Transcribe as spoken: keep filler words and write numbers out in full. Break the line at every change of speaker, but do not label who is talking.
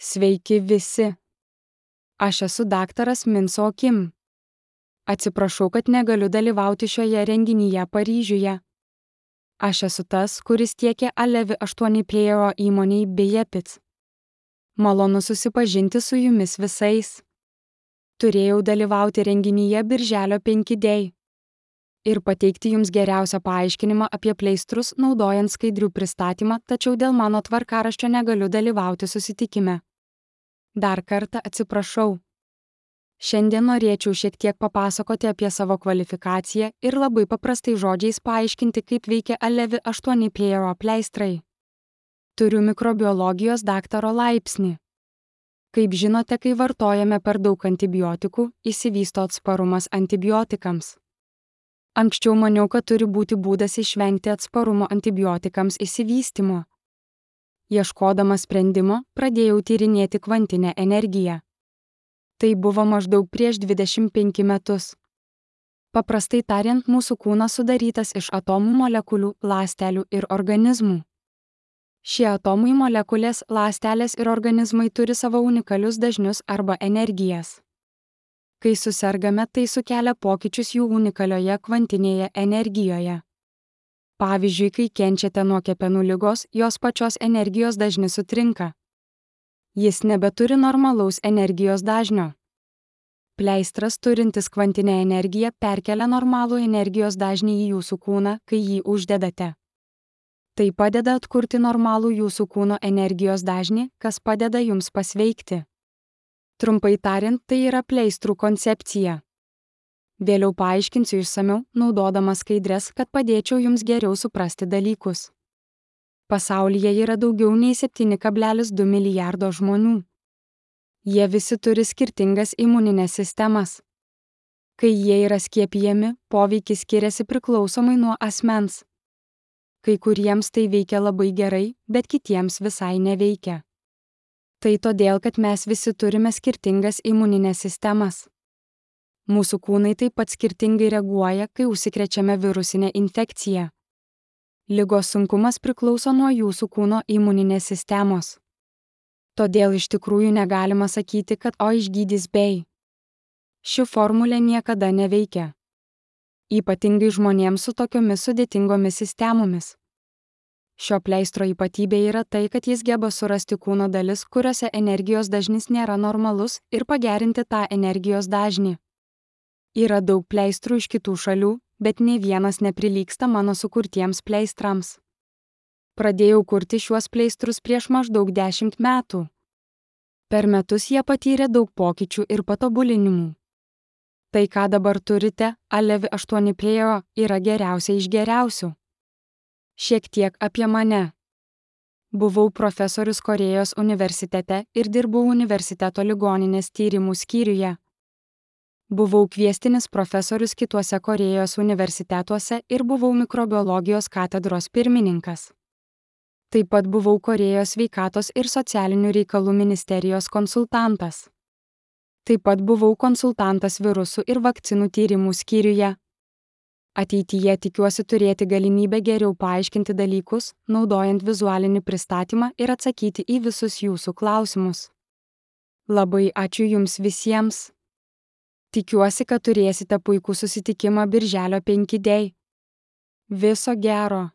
Sveiki visi. Aš esu daktaras Min So Kim. Atsiprašau, kad negaliu dalyvauti šioje renginyje Paryžiuje. Aš esu tas, kuris tiekia Alevi aštuoni Player įmonei Bejepits. Malonu susipažinti su jumis visais. Turėjau dalyvauti renginyje Birželio penki Day ir pateikti jums geriausią paaiškinimą apie pleistrus naudojant skaidrių pristatymą, tačiau dėl mano tvarkaraščio negaliu dalyvauti susitikime. Dar kartą atsiprašau. Šiandien norėčiau šiek tiek papasakoti apie savo kvalifikaciją ir labai paprastai žodžiais paaiškinti, kaip veikia Alevi aštuoni Player pleistrai. Turiu mikrobiologijos daktaro laipsnį. Kaip žinote, kai vartojame per daug antibiotikų, išsivysto atsparumas antibiotikams. Anksčiau maniau, kad turi būti būdas išvengti atsparumo antibiotikams išsivystymo. Ieškodamas sprendimo, pradėjau tyrinėti kvantinę energiją. Tai buvo maždaug prieš dvidešimt penkis metus. Paprastai tariant, mūsų kūnas sudarytas iš atomų, molekulių, ląstelių ir organizmų. Šie atomai, molekulės, ląstelės ir organizmai turi savo unikalius dažnius arba energijas. Kai susergame, tai sukelia pokyčius jų unikalioje kvantinėje energijoje. Pavyzdžiui, kai kenčiate nuo kepenų ligos, jos pačios energijos dažnis sutrinka. Jis nebeturi normalaus energijos dažnio. Pleistras turintis kvantinę energiją perkelia normalų energijos dažnį į jūsų kūną, kai jį uždedate. Tai padeda atkurti normalų jūsų kūno energijos dažnį, kas padeda jums pasveikti. Trumpai tariant, tai yra pleistrų koncepcija. Vėliau paaiškinsiu išsamiau, naudodamas skaidres, kad padėčiau jums geriau suprasti dalykus. Pasaulyje yra daugiau nei septyni kablelis du milijardo žmonių. Jie visi turi skirtingas imuninės sistemas. Kai jie yra skiepijami, poveikis skiriasi priklausomai nuo asmens. Kai kuriems tai veikia labai gerai, bet kitiems visai neveikia. Tai todėl, kad mes visi turime skirtingas imuninės sistemas. Mūsų kūnai taip pat skirtingai reaguoja, kai užsikrečiame virusinę infekciją. Ligos sunkumas priklauso nuo jūsų kūno imuninės sistemos. Todėl iš tikrųjų negalima sakyti, kad o išgydys bei. Ši formulė niekada neveikia. Ypatingai žmonėms su tokiomis sudėtingomis sistemomis. Šio pleistro ypatybė yra tai, kad jis geba surasti kūno dalis, kuriuose energijos dažnis nėra normalus, ir pagerinti tą energijos dažnį. Yra daug pleistrų iš kitų šalių, bet nei vienas neprilygsta mano sukurtiems pleistrams. Pradėjau kurti šiuos pleistrus prieš maždaug dešimt metų. Per metus jie patyrė daug pokyčių ir patobulinimų. Tai, ką dabar turite, Alevi aštuoni Player, yra geriausia iš geriausių. Šiek tiek apie mane. Buvau profesorius Korėjos universitete ir dirbau universiteto ligoninės tyrimų skyriuje. Buvau kviestinis profesorius kituose Korėjos universitetuose ir buvau mikrobiologijos katedros pirmininkas. Taip pat buvau Korėjos sveikatos ir socialinių reikalų ministerijos konsultantas. Taip pat buvau konsultantas virusų ir vakcinų tyrimų skyriuje. Ateityje tikiuosi turėti galimybę geriau paaiškinti dalykus, naudojant vizualinį pristatymą ir atsakyti į visus jūsų klausimus. Labai ačiū jums visiems. Tikiuosi, kad turėsite puikų susitikimą Birželio penki Day. Viso gero.